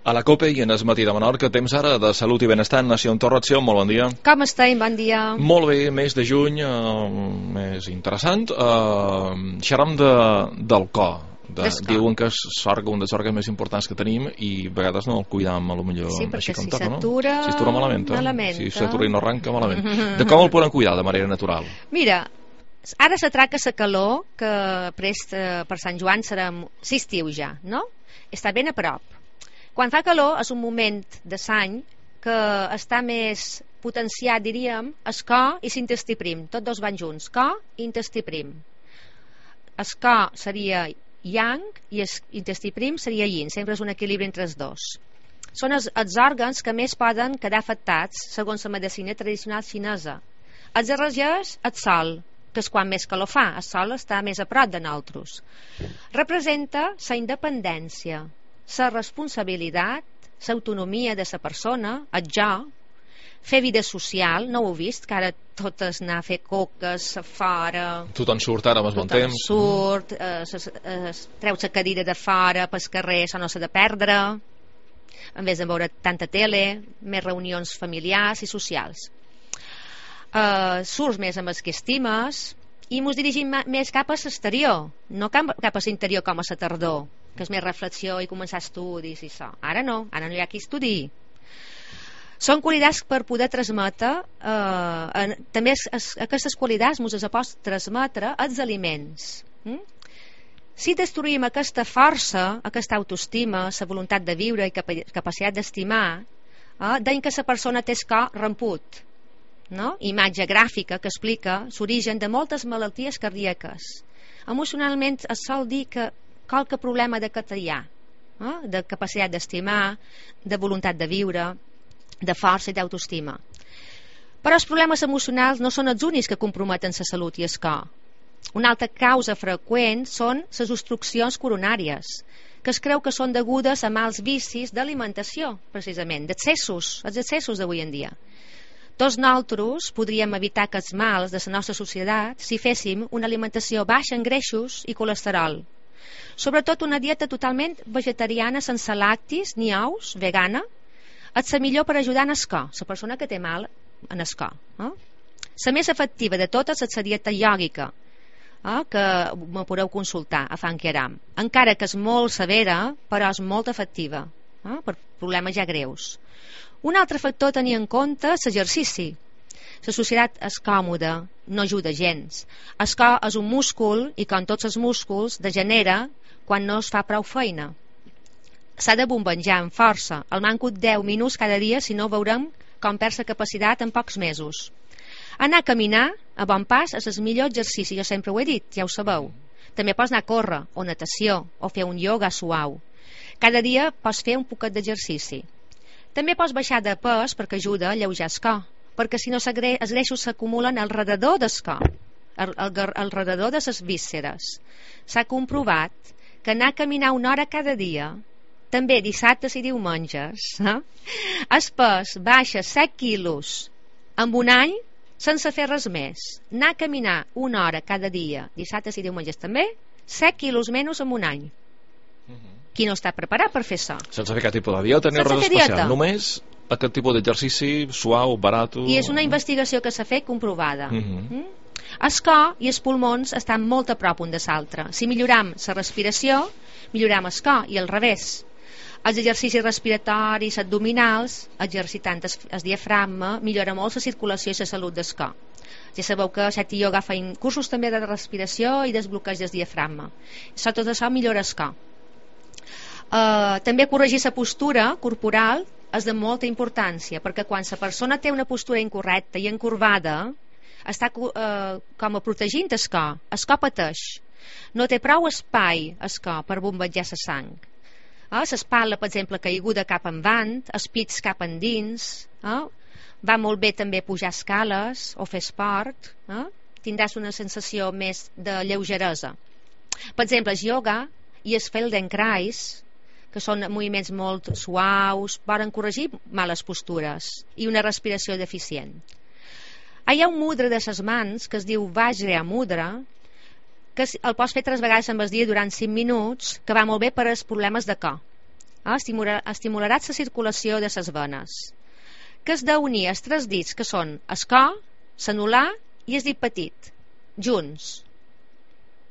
A la COPE i en el matí de Menorca, temps ara de salut i benestar. Nació Torratció, molt bon dia. Com estem? Bon dia. Molt bé, mes de juny, més interessant. Xerram del cor. Diuen que és un dels òrgans més importants que tenim i a vegades no el cuidam, potser sí, així com si toca, no? Si s'atura malament. Si s'atura i no arranca, malament. De com el podem cuidar de manera natural? Mira, ara s'atraca la calor, que prest per Sant Joan serà l'estiu ja, no? Està ben a prop. Quan fa calor és un moment de l'any que està més potenciat, diríem, el cor i l'intestí prim. Tots dos van junts, cor i intestí prim. El cor seria yang i l'intestí prim seria yin. Sempre és un equilibri entre els dos. Són els òrgans que més poden quedar afectats segons la medicina tradicional xinesa. Els regeix el sol, que és quan més calor fa. El sol està més a prop de nosaltres. Representa la independència, la responsabilitat, l'autonomia de la persona, el jo, fer vida social. No ho heu vist, que ara totes anar a fer coques a fora, tothom surt ara amb el bon temps, surt, treu la cadira de fora pel carrer, això no s'ha de perdre, en vez de veure tanta tele, més reunions familiars i socials. Surts més amb els que estimes i mos dirigim més cap a l'exterior, no cap a l'interior com a la tardor, que és més reflexió i començar estudis i això. Ara no hi ha qui estudi. Són qualitats per poder transmetre, també aquestes qualitats ens les pot transmetre els aliments. Si destruïm aquesta força, aquesta autoestima, la voluntat de viure i capacitat d'estimar, deien que la persona té el cor ramput, no? Imatge gràfica que explica l'origen de moltes malalties cardíaques. Emocionalment es sol dir que qualque problema d'aquest hi ha, de capacitat d'estimar, de voluntat de viure, de força i d'autoestima. Però els problemes emocionals no són els únics que comprometen la salut i el cor. Una altra causa freqüent són les obstruccions coronàries, que es creu que són degudes a mals vicis d'alimentació, precisament, d'excessos, els excessos d'avui en dia. Tots nosaltres podríem evitar aquests mals de la nostra societat si féssim una alimentació baixa en greixos i colesterol. Sobretot una dieta totalment vegetariana, sense lactis ni ous, vegana, és la millor per ajudar en el cor, la persona que té mal en el cor. La més efectiva de totes és la dieta iògica, que me podeu consultar a Funky Aram. Encara que és molt severa, però és molt efectiva, per problemes ja greus. Un altre factor a tenir en compte és l'exercici. La societat és còmoda, no ajuda gens. El cor és un múscul i, com tots els músculs, degenera quan no es fa prou feina. S'ha de bombejar amb força, al manco 10 minuts cada dia, si no veurem com perd la capacitat en pocs mesos. Anar a caminar a bon pas és el millor exercici, jo sempre ho he dit, ja ho sabeu. També pots anar a córrer, o natació, o fer un ioga suau. Cada dia pots fer un poquet d'exercici. També pots baixar de pes perquè ajuda a alleujar el cor, perquè si no els greixos s'acumulen al redador del cor, al redador de les vísceres. S'ha comprovat que anar a caminar 1 hora cada dia, també dissabtes i diumenges, el pes baixa 7 quilos en un any sense fer res més. Anar a caminar 1 hora cada dia, dissabtes i diumenges també, 7 quilos menys en un any. Qui no està preparat per fer això? Sense fer cap tipus de dieta ni res especial, només aquest tipus d'exercici suau, barat. I és una investigació que s'ha fet comprovada. El cor i els pulmons estan molt a prop un de l'altre. Si milloram la respiració, milloram el cor, i al revés. Els exercicis respiratoris abdominals, exercitant el diafragma, millora molt la circulació i la salut del cor. Ja sabeu que a Set i Yoga feien cursos també de respiració i desbloqueig del diafragma. Tot això millora el cor. També corregir la postura corporal és de molta importància, perquè quan la persona té una postura incorrecta i encorbada, està com a protegint el cor pateix. No té prou espai el cor per bombejar la sang. L'espatlla, per exemple, caiguda cap endavant, els pits cap endins. Va molt bé també pujar escales o fer esport. Tindràs una sensació més de lleugeresa. Per exemple, el yoga i el Feldenkrais, que són moviments molt suaus, poden corregir males postures i una respiració deficient. Hi ha un mudra de les mans que es diu Vajra Mudra, que el pots fer 3 vegades en el dia durant 5 minuts, que va molt bé per als problemes de cor. estimularà la circulació de les venes, que es d'unir els tres dits, que són el cor, l'anular i el dit petit, junts.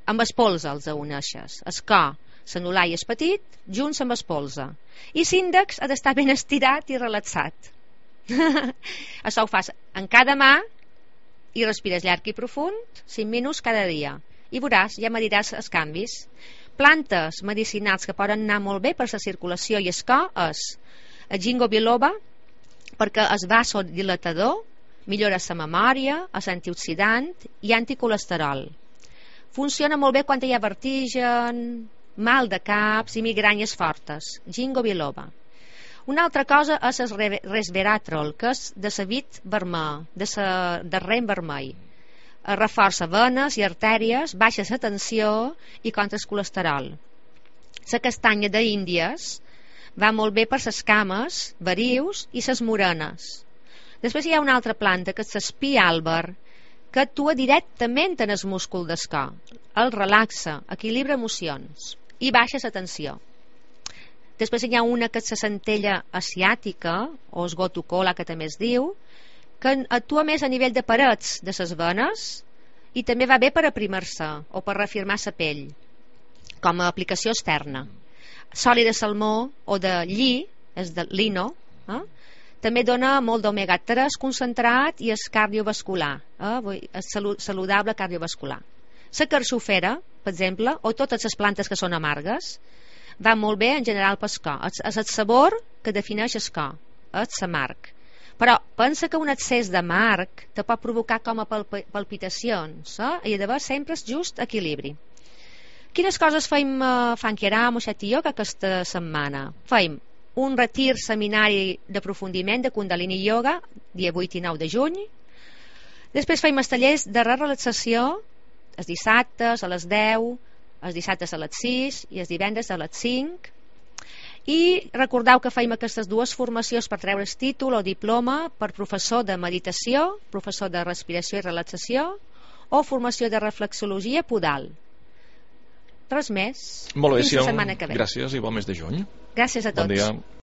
Amb el polze els uneixes. El cor, l'anular i el petit, junts amb el polze. I l'índex ha d'estar ben estirat i relaxat. Això ho fas en cada mà i respires llarg i profund 5 minuts cada dia i veuràs, ja me diràs els canvis. Plantes medicinals que poden anar molt bé per la circulació i el cor és el ginkgo biloba, perquè és vasodilatador, millora la memòria, és antioxidant i anticolesterol. Funciona molt bé quan hi ha vertigen, mal de caps i migranyes fortes. Ginkgo biloba. Una altra cosa és el resveratrol, que és de sabit vermell, de rem vermell. Reforça venes i artèries, baixa la tensió i contra el colesterol. La castanya d'Índies va molt bé per les cames, verius i les morenes. Després hi ha una altra planta, que és l'espí àlber, que actua directament en el múscul del cor. El relaxa, equilibra emocions i baixa la tensió. Després hi ha una que és la centella asiàtica, o el gotucola, que també es diu, que actua més a nivell de parets de les venes i també va bé per aprimar-se o per reafirmar la pell, com a aplicació externa. L'oli de salmó o de lli, és de lino, també dona molt d'omega-3 concentrat i és cardiovascular, és saludable cardiovascular. La carxofera, per exemple, o totes les plantes que són amargues, va molt bé en general pel cor. És el sabor que defineix el cor, és l'amarg. Però pensa que un excés d'amarg te pot provocar com a palpitacions, i ha d'haver sempre el just equilibri. Quines coses feim Funky Aram, Oixet i jo, aquesta setmana? Feim un retir seminari d'aprofundiment de Kundalini Yoga, dia 8 i 9 de juny. Després feim els tallers de relaxació els dissabtes a les 10, els dissabtes a les 6 i els divendres a les 5. I recordeu que feim aquestes dues formacions per treure el títol o diploma per professor de meditació, professor de respiració i relaxació o formació de reflexologia podal. Res més. Molt bé, fins la setmana que ve. Gràcies i bon mes de juny. Gràcies a tots. Bon dia.